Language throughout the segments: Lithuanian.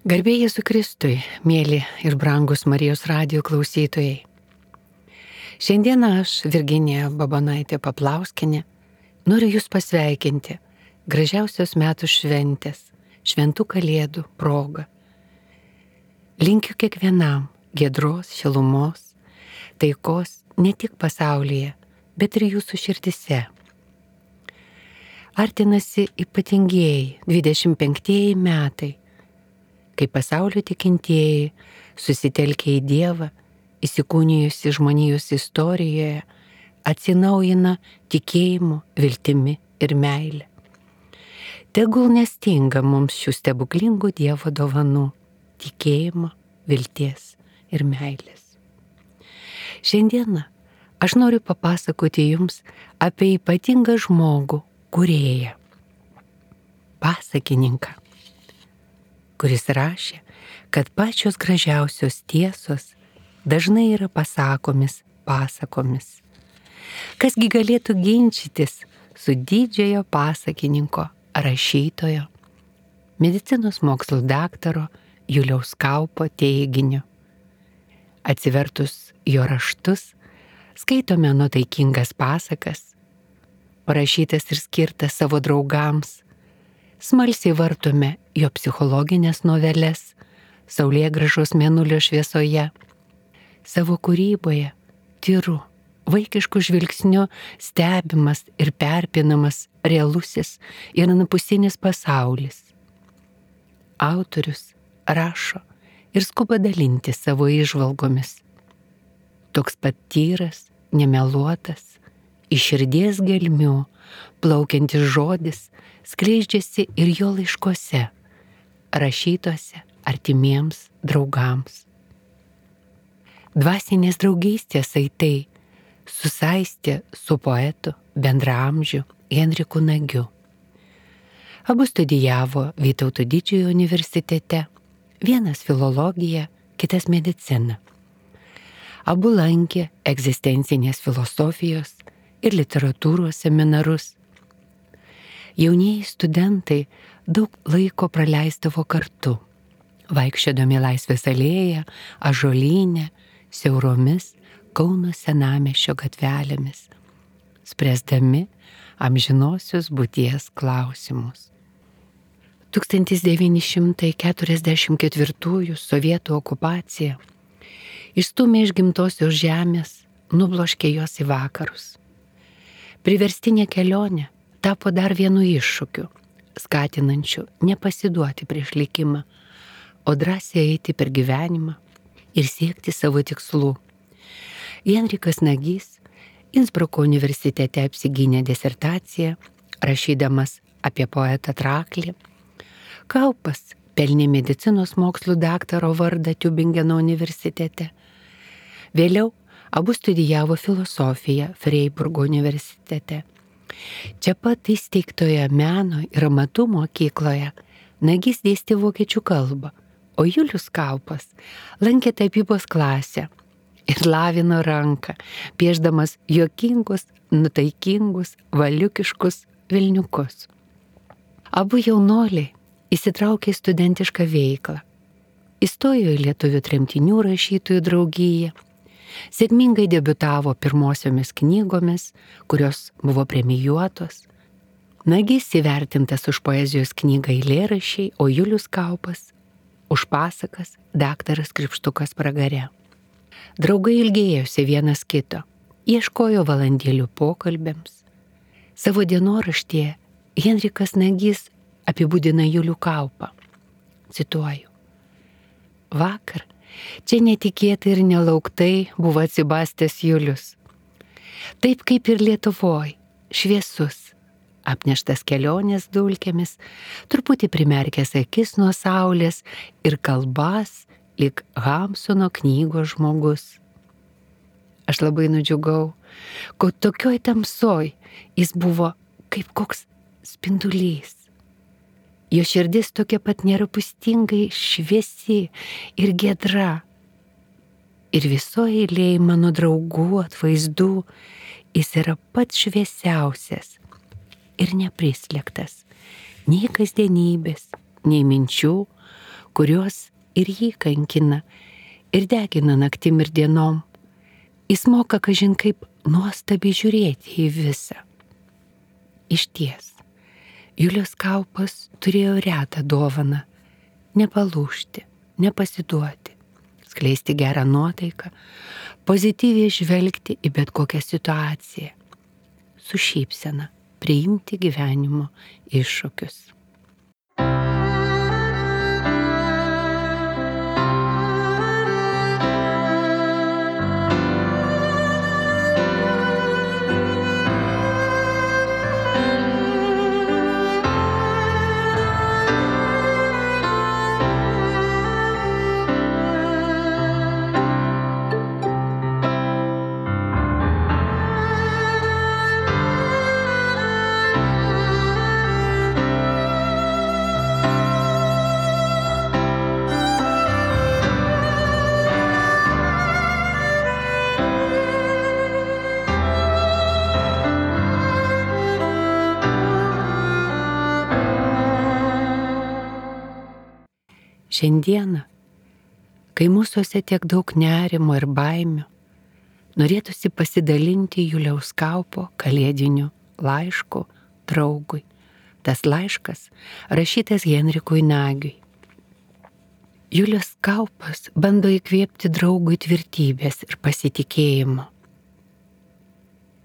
Garbė Jėzui Kristui, mėly ir brangus Marijos radijo klausytojai. Šiandieną aš, Virginija Babonaitė Paplauskienė, noriu Jūs pasveikinti gražiausios metų šventės, šventų kalėdų proga. Linkiu kiekvienam giedros, šilumos, taikos ne tik pasaulyje, bet ir Jūsų širdise. Artinasi ypatingieji 25 metai, kai pasaulio tikintieji susitelkia į Dievą, įsikūnijusi žmonijos istorijoje, atsinaujina tikėjimu, viltimi ir meile. Tegul nestinga mums šių stebuklingų Dievo dovanų - tikėjimo, vilties ir meilės. Šiandieną aš noriu papasakoti Jums apie ypatingą žmogų, kūrėją, pasakininką, kuris rašė, kad pačios gražiausios tiesos dažnai yra pasakomis pasakomis. Kasgi galėtų ginčytis su didžiojo pasakininko, rašytojo, medicinos mokslų daktaro Juliaus Kaupo teiginiu. Atsivertus jo raštus, skaitome nuotaikingas pasakas, parašytas ir skirtas savo draugams, smalsiai vartome jo psichologinės noveles, saulėgrąžos mėnulio šviesoje. Savo kūryboje tyru, vaikišku žvilgsniu stebimas ir perpinamas realusis ir anapusinis pasaulis. Autorius rašo ir skuba dalinti savo įžvalgomis. Toks pat tyras, nemeluotas, iš širdies gelmių plaukiantis žodis skleidžiasi ir jo laiškuose, rašytuose artimiems draugams. Dvasinės draugystės saitai susaistė su poetu bendraamžiu Henriku Nagyu. Abu studijavo Vytauto Didžiojo universitete, vienas filologiją, kitas mediciną. Abu lankė egzistencinės filosofijos ir literatūros seminarus. Jaunieji studentai daug laiko praleisdavo kartu, vaikščiodami Laisvės alėją, Ąžuolyne, siauromis Kauno senamiesčio gatvelėmis, spręsdami amžinosios būties klausimus. 1944 sovietų okupacija išstūmė iš gimtosios žemės, nubloškė jos į vakarus. Priverstinė kelionė tapo dar vienu iššūkiu, skatinančiu nepasiduoti prieš likimą, o drąsiai eiti per gyvenimą ir siekti savo tikslų. Henrikas Nagys Insbruko universitete apsigynė disertaciją, rašydamas apie poetą Traklį. Kaupas pelnė medicinos mokslų daktaro vardą Tiubingeno universitete. Vėliau abu studijavo filosofiją Freiburgo universitete. Čia pat įsteigtoje meno ir amatų mokykloje Nagys dėstė vokiečių kalbą, o Julius Kaupas lankė tapybos klasę ir lavino ranką, piešdamas juokingus, nutaikingus, valiukiškus vilniukus. Abu jaunuoliai įsitraukė į studentišką veiklą, įstojo į lietuvių tremtinių rašytojų draugiją, sėkmingai debiutavo pirmosiomis knygomis, kurios buvo premijuotos. Nagys įvertintas už poezijos knygą Eilėraščiai, o Julius Kaupas už pasakas Daktaras Kripštukas pragare. Draugai ilgėjosi vienas kito, ieškojo valandėlių pokalbėms. Savo dienoraštyje Henrikas Nagys apibūdina Julių Kaupą. Cituoju. Vakar čia netikėtai ir nelauktai buvo atsibastęs Julius. Taip kaip ir Lietuvoj, šviesus, apneštas kelionės dulkėmis, truputį primerkęs akis nuo saulės ir kalbas lyg Hamsuno knygos žmogus. Aš labai nudžiugau, kad tokioj tamsoj jis buvo kaip koks spindulys. Jo širdis tokia pat nerūpestingai šviesi ir giedra. Ir visoje eilėje mano draugų atvaizdų jis yra pats šviesiausias ir neprislėgtas nei kasdienybės, nei minčių, kurios ir jį kankina, ir degina naktim ir dienom. Jis moka kažin kaip nuostabiai žiūrėti į visą. Išties, Julius Kaupas turėjo retą dovaną – nepalūžti, nepasiduoti, skleisti gerą nuotaiką, pozityviai žvelgti į bet kokią situaciją, su šypsena priimti gyvenimo iššūkius. Šiandieną, kai mūsuose tiek daug nerimo ir baimių, norėtųsi pasidalinti Juliaus Kaupo kalėdiniu laišku draugui. Tas laiškas rašytas Henrikui Nagiui. Julius Kaupas bando įkvėpti draugui tvirtybės ir pasitikėjimo.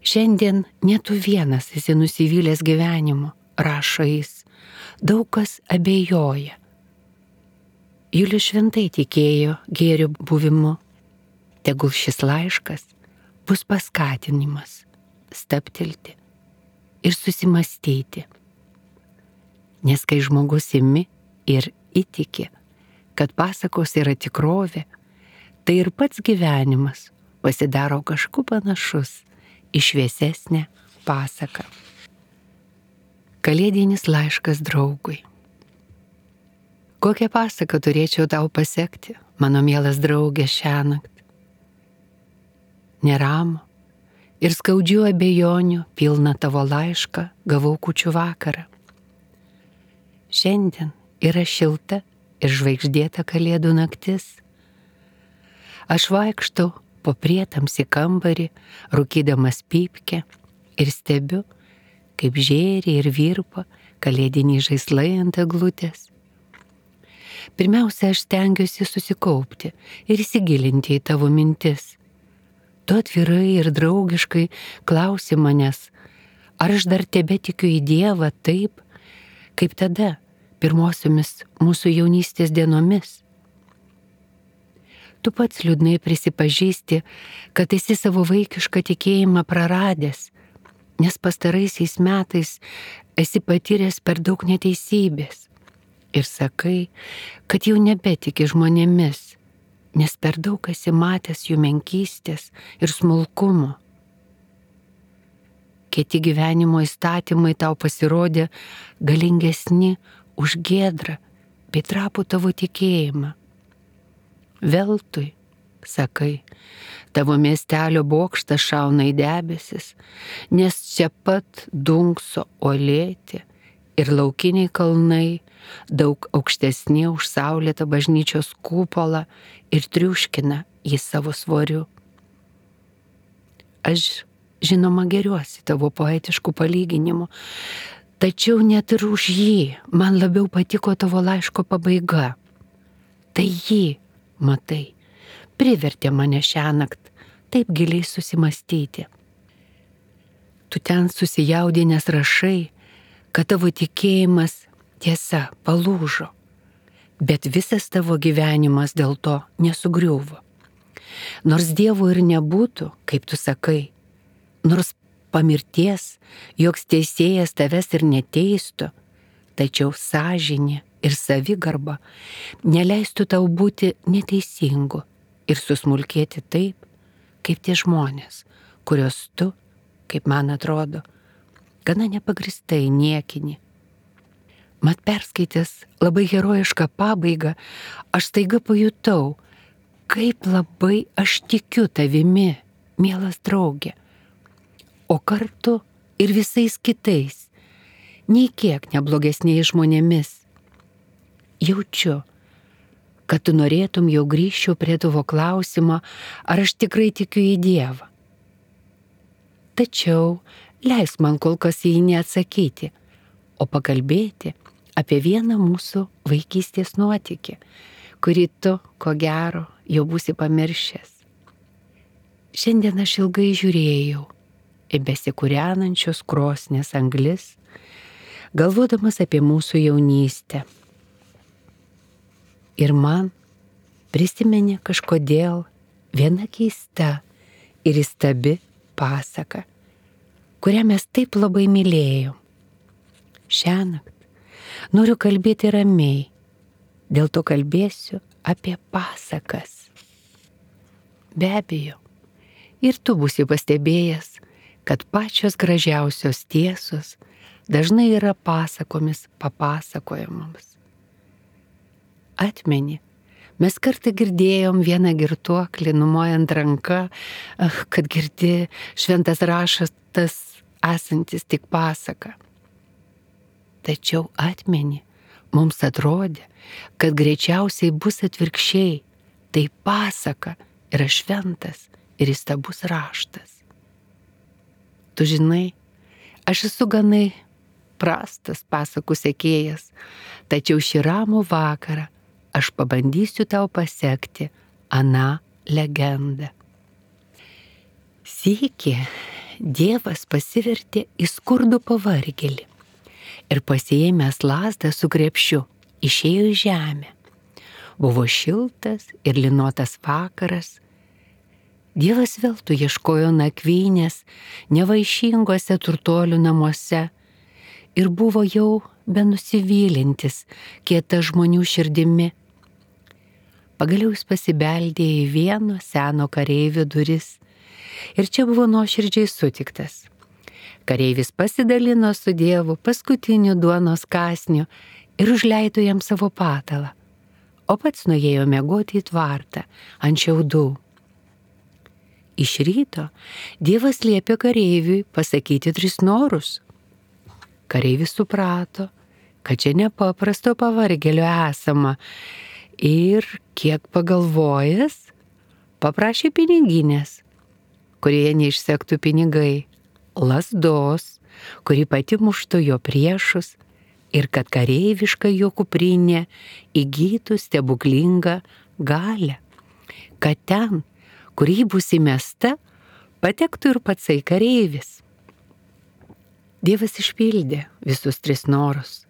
Šiandien ne tu vienas esi nusivylęs gyvenimu, rašo jis, daug kas abejoja. Julius šventai tikėjo gėrio buvimu. Tegul šis laiškas bus paskatinimas stabtelti ir susimastyti. Nes kai žmogus imi ir įtiki, kad pasakos yra tikrovė, tai ir pats gyvenimas pasidaro kažkuo panašus į šviesesnę pasaką. Kalėdinis laiškas draugui. Kokią pasaką turėčiau tau pasekti, mano mielas draugė, šiąnakt? Neramų ir skaudžių abejonių pilną tavo laišką gavau kūčių vakarą. Šiandien yra šilta ir žvaigždėta kalėdų naktis. Aš vaikštau po prietamsį kambarį, rūkydamas pypkę ir stebiu, kaip žėri ir virpa kalėdiniai žaislai ant eglutės. Pirmiausia, aš stengiuosi susikaupti ir įsigilinti į tavo mintis. Tu atvirai ir draugiškai klausi manęs, ar aš dar tebetikiu į Dievą taip, kaip tada, pirmosiomis mūsų jaunystės dienomis. Tu pats liūdnai prisipažįsti, kad esi savo vaikišką tikėjimą praradęs, nes pastaraisiais metais esi patyręs per daug neteisybės. Ir sakai, kad jau nebetiki žmonėmis, nes per daug esi matęs jų menkystės ir smulkumo. Kiti gyvenimo įstatymai tau pasirodė galingesni už giedrą bei trapų tavo tikėjimą. Veltui, sakai, tavo miestelio bokštas šauna į debesis, nes čia pat dunkso uolėti ir laukiniai kalnai, daug aukštesni už saulėtą bažnyčios kupolą ir triuškina jį savo svoriu. Aš, žinoma, geriuosi tavo poetiškų palyginimų, tačiau net ir už jį man labiau patiko tavo laiško pabaiga. Tai jį, matai, privertė mane šiąnakt taip giliai susimastyti. Tu ten susijaudinęs rašai, kad tavo tikėjimas tiesa palūžo, bet visas tavo gyvenimas dėl to nesugriuvo. Nors Dievo ir nebūtų, kaip tu sakai, nors pamirties, joks teisėjas tavęs ir neteistų, tačiau sąžinė ir savigarba neleistų tau būti neteisingu ir susmulkėti taip, kaip tie žmonės, kurios tu, kaip man atrodo, gana nepagristai niekini. Mat perskaitęs labai herojišką pabaigą, aš staiga pajutau, kaip labai aš tikiu tavimi, mielas draugė, o kartu ir visais kitais, nei kiek neblogesniais žmonėmis. Jaučiu, kad tu norėtum, jau grįžčiau prie tavo klausimo, ar aš tikrai tikiu į Dievą. Tačiau leisk man kol kas į jį neatsakyti, o pakalbėti apie vieną mūsų vaikystės nuotykį, kurį tu, ko gero, jau būsi pamiršęs. Šiandien aš ilgai žiūrėjau į besikūrenančios krosnės anglis, galvodamas apie mūsų jaunystę. Ir man prisiminė kažkodėl viena keista ir įstabi pasaka, kurią mes taip labai mylėjom. Šiąnakt noriu kalbėti ramiai, dėl to kalbėsiu apie pasakas. Be abejo, ir tu būsi pastebėjęs, kad pačios gražiausios tiesos dažnai yra pasakomis papasakojamams. Atmeni, mes kartą girdėjom vieną girtuoklį numojant ranką, kad girdi šventas raštas esantis tik pasaka. Tačiau atmeni, mums atrodė, kad greičiausiai bus atvirkščiai, tai pasaka yra šventas ir įstabus raštas. Tu žinai, aš esu ganai prastas pasakų sekėjas, tačiau šį ramų vakarą aš pabandysiu tau pasekti aną legendą. Sykį Dievas pasivertė į skurdų pavargėlį ir pasiėmęs lazdą su krepšiu išėjo į žemę. Buvo šiltas ir lynotas vakaras. Dievas veltui ieškojo nakvynės nevaišingose turtuolių namuose ir buvo jau benusivylintis kieta žmonių širdimi. Pagaliau jis pasibeldė į vieno seno kareivio duris ir čia buvo nuoširdžiai sutiktas. Kareivis pasidalino su Dievu paskutiniu duonos kąsniu ir užleido jam savo patalą, o pats nuėjo miegoti į tvartą ant šiaudų. Iš ryto Dievas liepė kareiviui pasakyti 3 norus. Kareivis suprato, kad čia nepaprasto pavargėlio esama ir, kiek pagalvojęs, paprašė piniginės, kurioje neišsektų pinigai, lazdos, kuri pati muštų jo priešus ir kad kareiviška jo kuprinė įgytų stebuklingą galią, kad ten, kur ji bus įmesta, patektų ir patsai kareivis. Dievas išpildė visus 3 norus.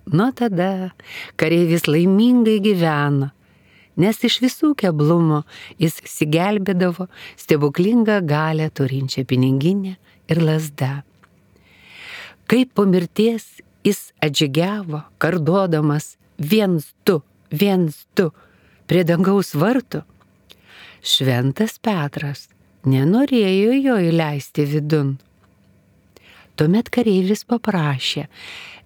Nuo tada kareivis laimingai gyveno, nes iš visų keblumų jis išsigelbėdavo stebuklingą galią turinčią piniginę ir lazdą. Kaip po mirties jis atžygiavo, kardodamas 1, 2, 1, 2 prie dangaus vartų, šventas Petras nenorėjo jo įleisti vidun. Tuomet kareivis paprašė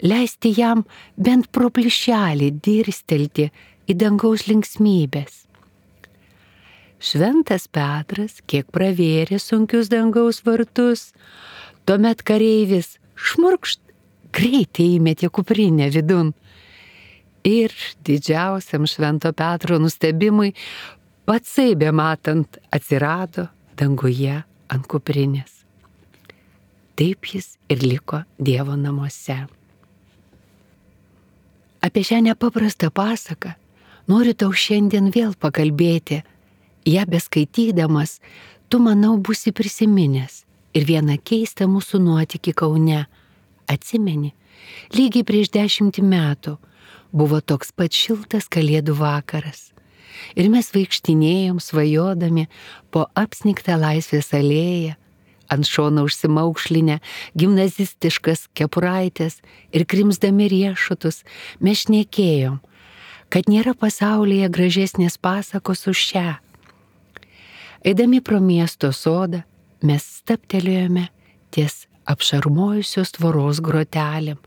leisti jam bent pro plyšelį dirstelti į dangaus linksmybės. Šventas Petras kiek pravėrė sunkius dangaus vartus, tuomet kareivis šmurkšt greitai įmetė kuprinę vidun. Ir didžiausiam Švento Petro nustebimui patsai bematant atsirado danguje ant kuprinės. Taip jis ir liko Dievo namuose. Apie šią nepaprastą pasaką noriu tau šiandien vėl pakalbėti. Ja beskaitydamas, tu, manau, būsi prisiminęs ir vieną keistą mūsų nuotykį Kaune. Atsimeni, lygiai prieš 10 metų buvo toks pat šiltas kalėdų vakaras. Ir mes vaikštinėjom svajodami po apsnigtą Laisvės alėją, ant šono užsimaukšlinę gimnazistiškas kepuraitės ir krimsdami riešutus mes šnekėjom, kad nėra pasaulyje gražesnės pasakos už šią. Eidami pro miesto sodą, mes stabtelėjome ties apšarmojusios tvoros grotelėm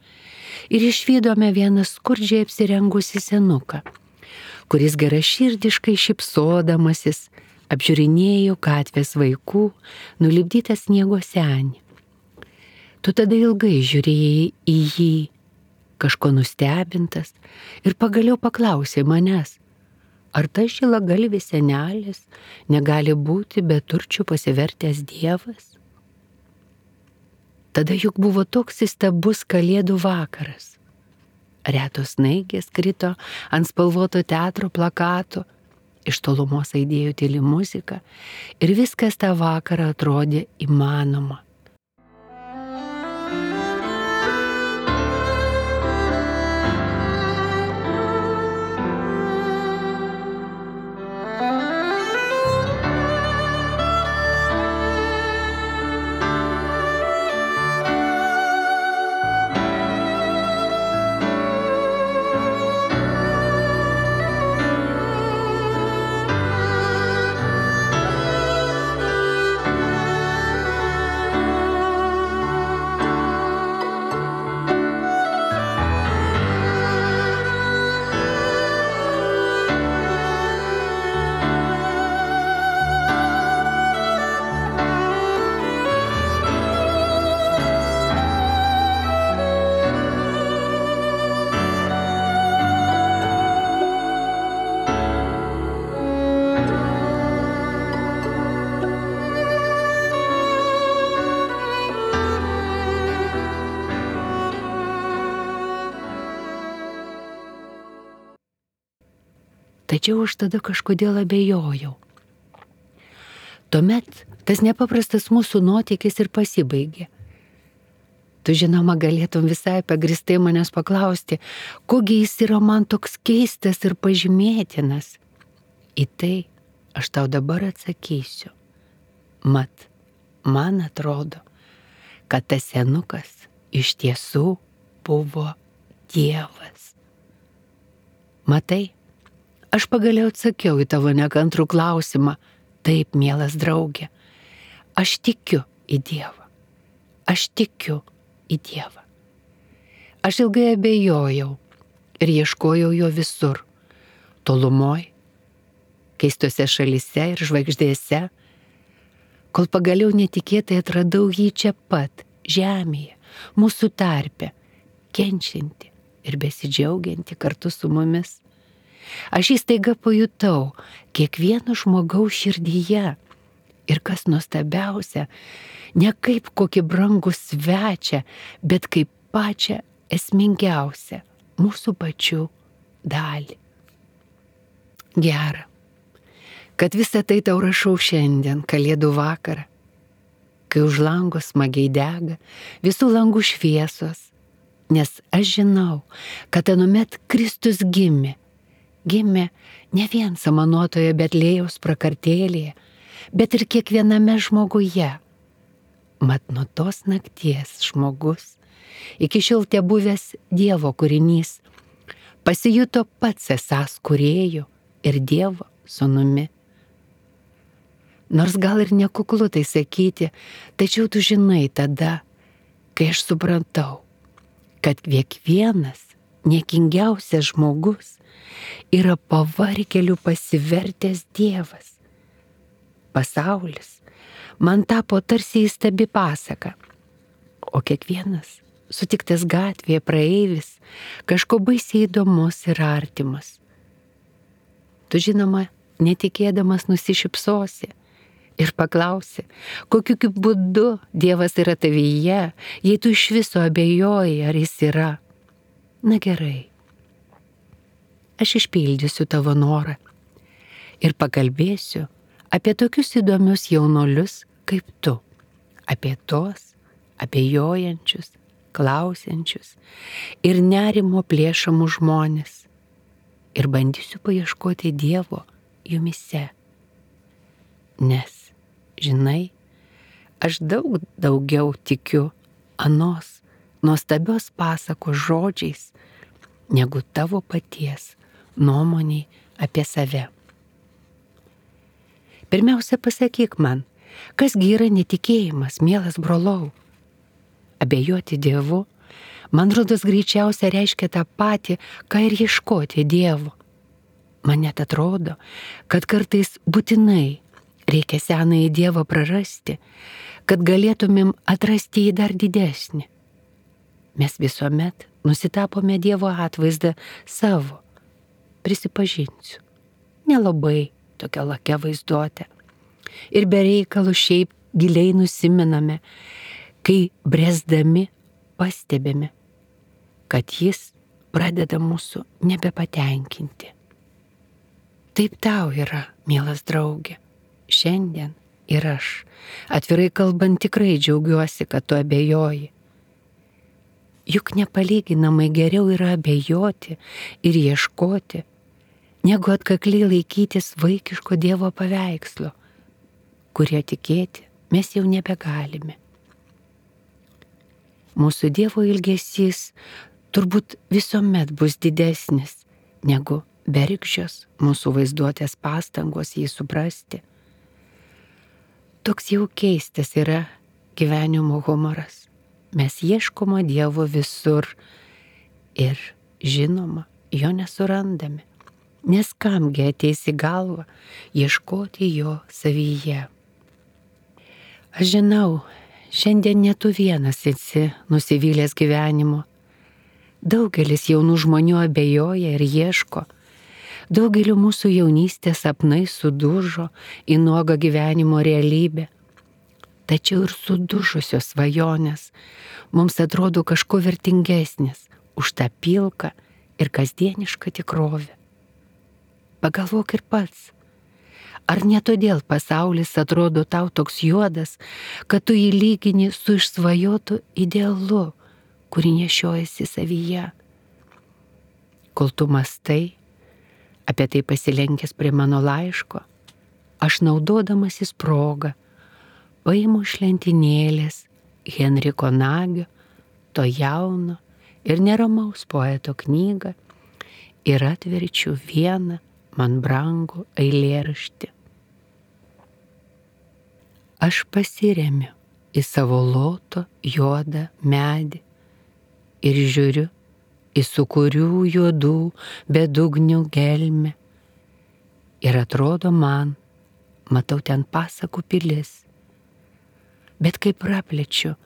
ir išvydome vieną skurdžiai apsirengusi senuką, kuris geraširdiškai šypsodamasis apžiūrinėjo gatvės vaikų nulipdytą sniego senį. Tu tada ilgai žiūrėjai į jį, kažko nustebintas, ir pagaliau paklausė manęs, Ar tas žilagalvis senelis negali būti be turčių pasivertęs dievas? Tada juk buvo toks įstabus kalėdų vakaras. Retos snaigės krito ant spalvoto teatro plakatų, iš tolumos aidėjo tyli muzika ir viskas tą vakarą atrodė įmanoma. Tačiau aš tada kažkodėl abejojau. Tuomet tas nepaprastas mūsų nuotykis ir pasibaigė. Tu žinoma galėtum visai pagristai manęs paklausti, kogi jis yra man toks keistas ir pažymėtinas. Į tai aš tau dabar atsakysiu. Mat, man atrodo, kad tas senukas iš tiesų buvo Dievas. Matai, aš pagaliau atsakiau į tavo nekantrų klausimą. Taip, mielas draugė, aš tikiu į Dievą. Aš tikiu į Dievą. Aš ilgai abejojau ir ieškojau jo visur. Tolumoj, keistose šalyse ir žvaigždėse, kol pagaliau netikėtai atradau jį čia pat, žemėje, mūsų tarpe, kenčianti ir besidžiaugianti kartu su mumis. Aš įstaiga pajutau kiekvieno žmogaus širdyje ir kas nuostabiausia, ne kaip kokį brangų svečią, bet kaip pačią esmingiausią mūsų pačių dalį. Gera, kad visą tai tau rašau šiandien, kalėdų vakarą, kai už lango smagiai dega visų langų šviesos, nes aš žinau, kad anuomet Kristus gimė ne vien samanuotoje Betlėjaus prakartėlėje, bet ir kiekviename žmoguje. Mat nuo tos nakties žmogus, iki šiol tebuvęs Dievo kūrinys, pasijuto pats esąs kūrėju ir Dievo sūnumi. Nors gal ir nekuklu tai sakyti, tačiau tu žinai tada, kai aš suprantau, kad kiekvienas niekingiausias žmogus yra pavargėlių pasivertęs Dievas. Pasaulis man tapo tarsi įstabi pasaka, o kiekvienas sutiktas gatvėje praeivis kažko baisiai įdomus ir artimas. Tu žinoma, netikėdamas nusišypsosi ir paklausi, kokiu būdu Dievas yra tavyje, jei tu iš viso abejoji, ar jis yra. Na gerai, aš išpildysiu tavo norą ir pakalbėsiu apie tokius įdomius jaunolius kaip tu, apie tos abejojančius, klausiančius ir nerimo plėšamus žmonės ir bandysiu paieškoti Dievo jumise. Nes, žinai, aš daug daugiau tikiu anos nuostabios pasakos žodžiais, negu tavo paties nuomoniai apie save. Pirmiausia, pasakyk man, kasgi yra netikėjimas, mielas brolau? Abejoti Dievu, man rodos greičiausia reiškia tą patį, ką ir ieškoti Dievo. Man net atrodo, kad kartais būtinai reikia senąjį Dievą prarasti, kad galėtumėm atrasti jį dar didesnį. Mes visuomet nusitapome Dievo atvaizdą savo, prisipažinsiu, nelabai tokia lakia vaizduotė. Ir be reikalų šiaip giliai nusiminame, kai bręsdami pastebime, kad jis pradeda mūsų nebepatenkinti. Taip tau yra, mielas draugė, šiandien ir aš, atvirai kalbant, tikrai džiaugiuosi, kad tu abejoji. Juk nepalyginamai geriau yra abejoti ir ieškoti, negu atkakliai laikytis vaikiško Dievo paveikslo, kurie tikėti mes jau nebegalime. Mūsų Dievo ilgesys turbūt visuomet bus didesnis negu bergždžios mūsų vaizduotės pastangos jį suprasti. Toks jau keistas yra gyvenimo humoras. Mes ieškoma Dievo visur ir, žinoma, jo nesurandame, nes kamgi ateis į galvą ieškoti jo savyje. Aš žinau, šiandien ne tu vienas esi nusivylęs gyvenimu. Daugelis jaunų žmonių abejoja ir ieško. Daugeliu mūsų jaunystės sapnai sudužo į nuogą gyvenimo realybę. Tačiau ir sudužusios svajonės mums atrodo kažko vertingesnės už tą pilką ir kasdienišką tikrovę. Pagalvok ir pats, ar ne todėl pasaulis atrodo tau toks juodas, kad tu jį lygini su išsvajotu idealu, kurį nešiojasi savyje. Kol tu mąstai, apie tai pasilenkęs prie mano laiško, aš naudodamasis progą paimu iš lentynėlės Henriko Nagio, to jauno ir neramaus poeto knygą ir atverčiu vieną man brangų eilėraštį. Aš pasiremiu į savo loto juodą medį ir žiūriu į sūkurių juodų bedugnių gelmę. Ir atrodo man, matau ten pasakų pilis. Bet kai praplečiu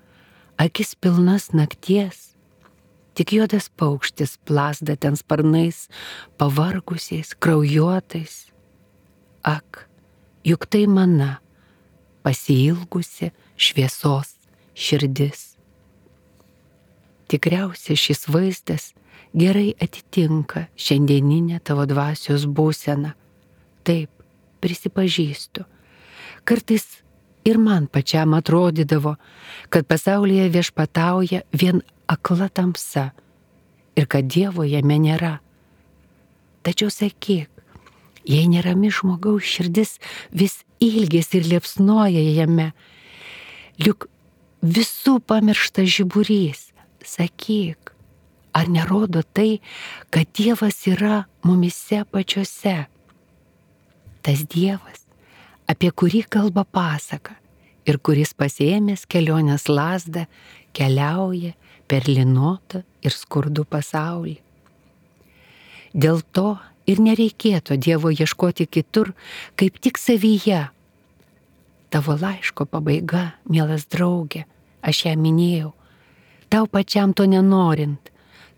akis pilnas nakties, tik juodas paukštis plazda ten sparnais, pavargusiais, kraujuotais. Ak, juk tai mana, pasiilgusi šviesos širdis. Tikriausiai šis vaizdas gerai atitinka šiandieninę tavo dvasios būseną. Taip, prisipažįstu. Kartais ir man pačiam atrodydavo, kad pasaulyje viešpatauja vien akla tamsa ir kad Dievo jame nėra. Tačiau sakyk, jei nerami žmogaus širdis vis ilgės ir liepsnoja jame, juk visų pamirštas žiburys, sakyk, ar nerodo tai, kad Dievas yra mumise pačiose? Tas Dievas, apie kurį kalba pasaka ir kuris pasiėmęs kelionės lazdą keliauja per linotą ir skurdų pasaulį. Dėl to ir nereikėtų Dievo ieškoti kitur, kaip tik savyje. Tavo laiško pabaiga, mielas draugė, aš ją minėjau, tau pačiam to nenorint,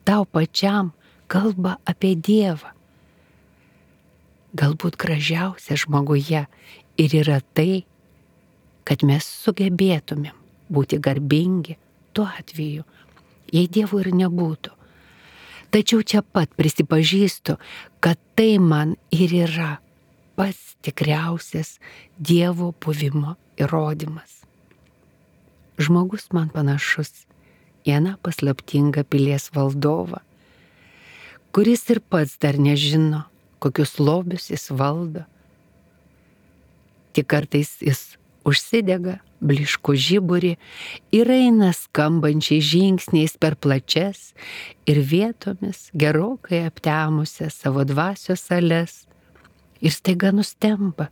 tau pačiam kalba apie Dievą. Galbūt gražiausia žmoguje ir yra tai, kad mes sugebėtumėm būti garbingi tuo atveju, jei Dievo ir nebūtų. Tačiau čia pat prisipažįstu, kad tai man ir yra pats tikriausias Dievo buvimo įrodymas. Žmogus man panašus į aną paslaptingą pilies valdovą, kuris ir pats dar nežino, kokius lobius jis valdo. Tik kartais jis užsidega bliškų žiburį ir eina skambančiai žingsniais per plačias ir vietomis gerokai aptemusias savo dvasios sales ir staiga nustemba,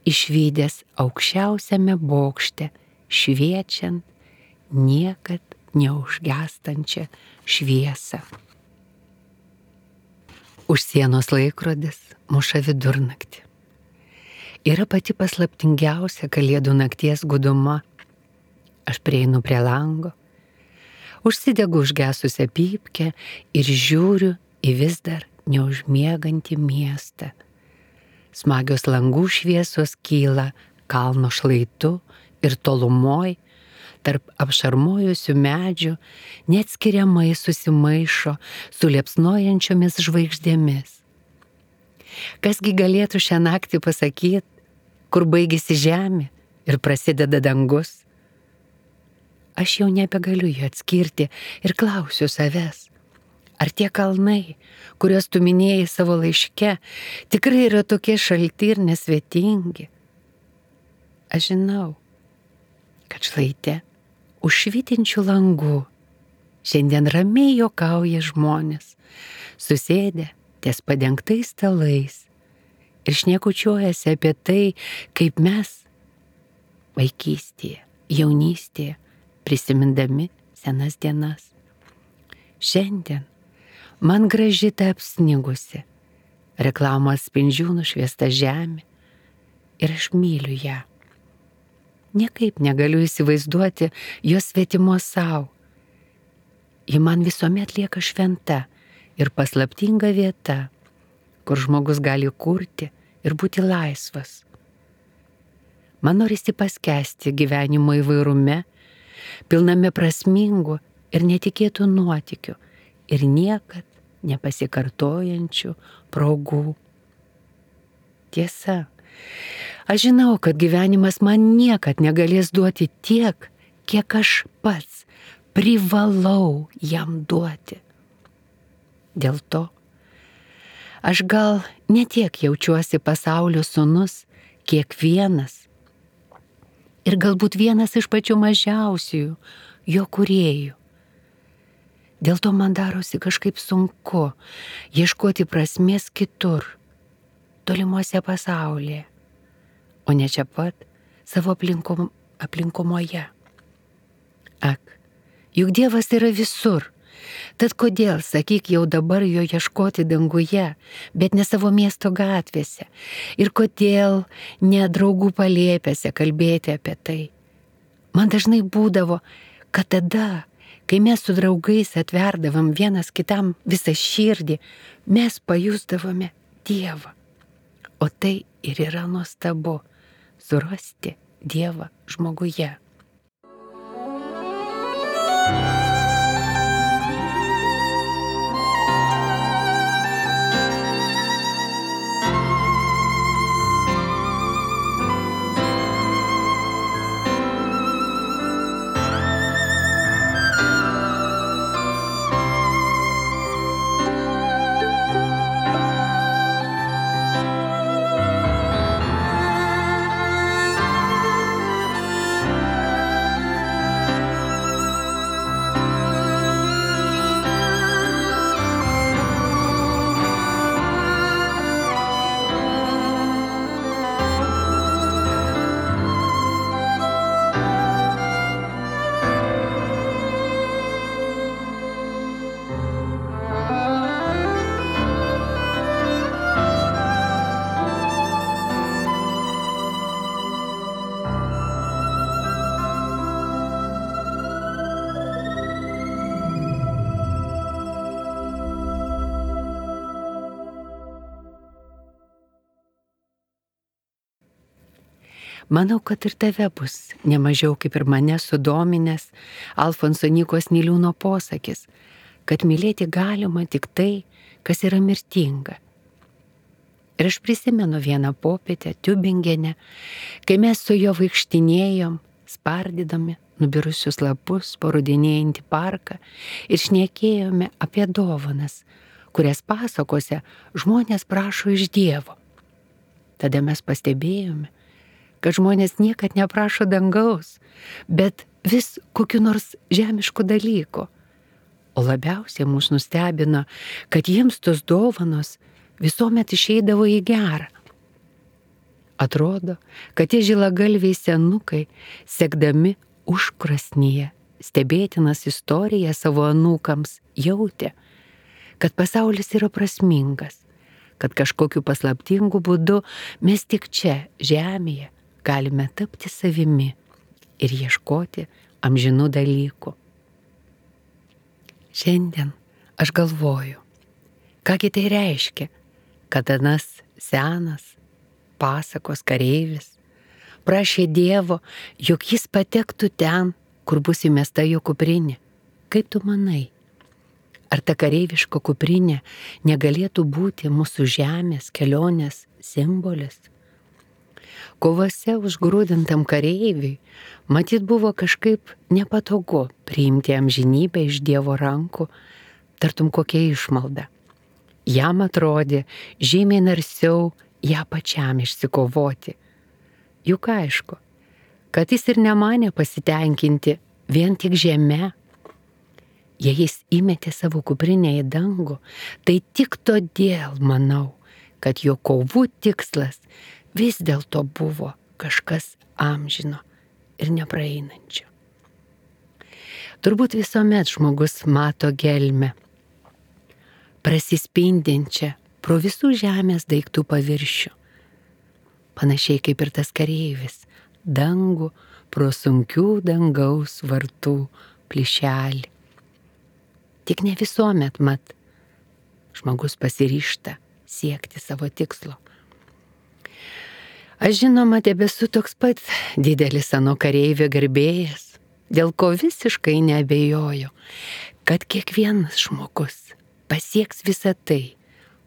išvydęs aukščiausiame bokšte šviečiant niekad neužgęstančią šviesą. Už sienos laikrodis muša vidurnaktį. Yra pati paslaptingiausia kalėdų nakties guduma. Aš prieinu prie lango, užsidegu užgesusią pypkę ir žiūriu į vis dar neužmiegantį miestą. Smagios langų šviesos kyla kalno šlaitu ir tolumoj, tarp apšarmojusių medžių, neatskiriamai susimaišo su liepsnojančiomis žvaigždėmis. Kasgi galėtų šią naktį pasakyti, kur baigėsi žemė ir prasideda dangus? Aš jau nebegaliu jų atskirti ir klausiu savęs, ar tie kalnai, kuriuos tu minėjai savo laiške, tikrai yra tokie šalti ir nesvetingi? Aš žinau, kad šlaite už švytinčių langų šiandien ramiai juokauja žmonės, susėdę ties padengtais stalais ir šnekučiuojasi apie tai, kaip mes vaikystėje, jaunystėje, prisimindami senas dienas. Šiandien man graži ta apsnigusi, reklamos spindžių nušviesta žemė ir aš myliu ją. Niekaip negaliu įsivaizduoti jos svetimos savo. Ji man visuomet lieka šventa ir paslaptinga vieta, kur žmogus gali kurti ir būti laisvas. Man norisi paskęsti gyvenimo įvairume, pilname prasmingų ir netikėtų nuotykių ir niekad nepasikartojančių progų. Tiesa, aš žinau, kad gyvenimas man niekad negalės duoti tiek, kiek aš pats privalau jam duoti. Dėl to aš gal ne tiek jaučiuosi pasaulio sūnus, kiek vienas. Ir galbūt vienas iš pačių mažiausiųjų jo kūrėjų. Dėl to man darosi kažkaip sunku ieškoti prasmės kitur, tolimuose pasaulyje, o ne čia pat savo aplinkumoje. Ak, juk Dievas yra visur, tad kodėl, sakyk, jau dabar jo ieškoti danguje, bet ne savo miesto gatvėse, ir kodėl ne draugų palėpėse kalbėti apie tai. Man dažnai būdavo, kad tada, kai mes su draugais atverdavom vienas kitam visą širdį, mes pajusdavome Dievą. O tai ir yra nuostabu – surasti Dievą žmoguje. Manau, kad ir tave bus nemažiau kaip ir mane sudominęs Alfonso Nykos Niliūno posakis, kad mylėti galima tik tai, kas yra mirtinga. Ir aš prisimenu vieną popietę Tiubingene, kai mes su juo vaikštinėjom, spardydami nubirusius lapus po rudenėjantį parką ir šnekėjome apie dovanas, kurias pasakose žmonės prašo iš Dievo. Tada mes pastebėjome, kad žmonės niekad neprašo dangaus, bet vis kokiu nors žemišku dalyku. O labiausiai mus nustebino, kad jiems tos dovanos visuomet išeidavo į gerą. Atrodo, kad tie žilagalviai senukai, sekdami užkrasnyje stebėtinas istorijas savo anūkams, jautė, kad pasaulis yra prasmingas, kad kažkokiu paslaptingu būdu mes tik čia, žemėje, galime tapti savimi ir ieškoti amžinų dalykų. Šiandien aš galvoju, kągi tai reiškia, kad anas senas, pasakos kareivis, prašė Dievo, jog jis patektų ten, kur bus įmesta jo kuprinė. Kaip tu manai, ar ta kareiviška kuprinė negalėtų būti mūsų žemės kelionės simbolis? Kovose užgrūdintam kareiviui matyt buvo kažkaip nepatogu priimti amžinybę iš Dievo rankų, tartum kokia išmalda. Jam atrodė žymiai narsiau ją pačiam išsikovoti. Juk aišku, kad jis ir nemanė pasitenkinti vien tik žeme. Jei jis įmetė savo kuprinę į dangų, tai tik todėl manau, kad jo kovų tikslas vis dėlto buvo kažkas amžino ir nepraeinančio. Turbūt visuomet žmogus mato gelmę, prasispindinčią pro visų žemės daiktų paviršių. Panašiai kaip ir tas kareivis, dangų pro sunkių dangaus vartų plyšelį. Tik ne visuomet mat žmogus pasiryžta siekti savo tikslo. Aš žinoma tebesu toks pat didelis ano kareivio gerbėjas, dėl ko visiškai neabejoju, kad kiekvienas žmogus pasieks visą tai,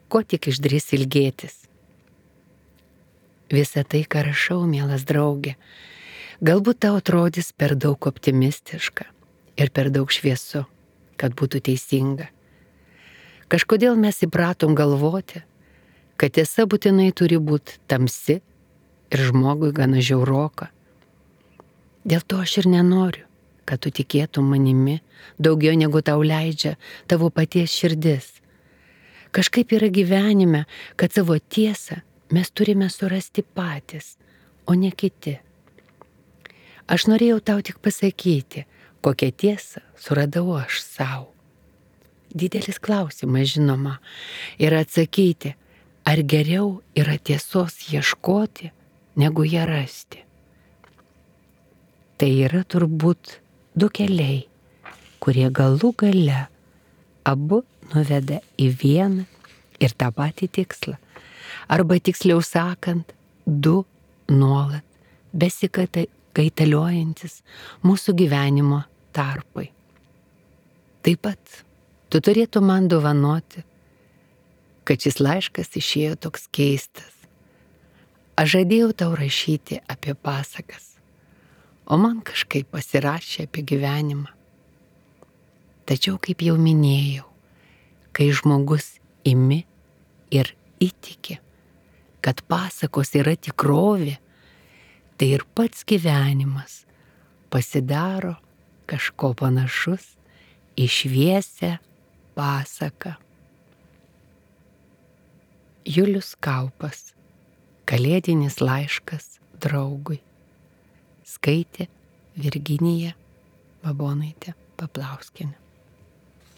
ko tik išdrįs ilgėtis. Visą tai, ką rašau, mielas draugė, galbūt tau atrodys per daug optimistiška ir per daug šviesu, kad būtų teisinga. Kažkodėl mes įpratom galvoti, kad tiesa būtinai turi būti tamsi ir žmogui gana žiauroka. Dėl to aš ir nenoriu, kad tu tikėtum manimi daugiau negu tau leidžia tavo paties širdis. Kažkaip yra gyvenime, kad savo tiesą mes turime surasti patys, o ne kiti. Aš norėjau tau tik pasakyti, kokią tiesą suradau aš savo. Didelis klausimas, žinoma, yra atsakyti, ar geriau yra tiesos ieškoti, negu ją rasti. Tai yra turbūt du keliai, kurie galų gale abu nuveda į vieną ir tą patį tikslą. Arba tiksliau sakant, du nuolat besikaitaliojantis mūsų gyvenimo tarpai. Taip pat tu turėtum man dovanoti, kad šis laiškas išėjo toks keistas. Aš žadėjau tau rašyti apie pasakas, o man kažkaip pasirašė apie gyvenimą. Tačiau, kaip jau minėjau, kai žmogus imi ir įtiki, kad pasakos yra tikrovė, tai ir pats gyvenimas pasidaro kažko panašus į šviesią pasaką. Julius Kaupas. Kalėdinis laiškas draugui. Skaitė Virginija Babonaitė Paplauskienė.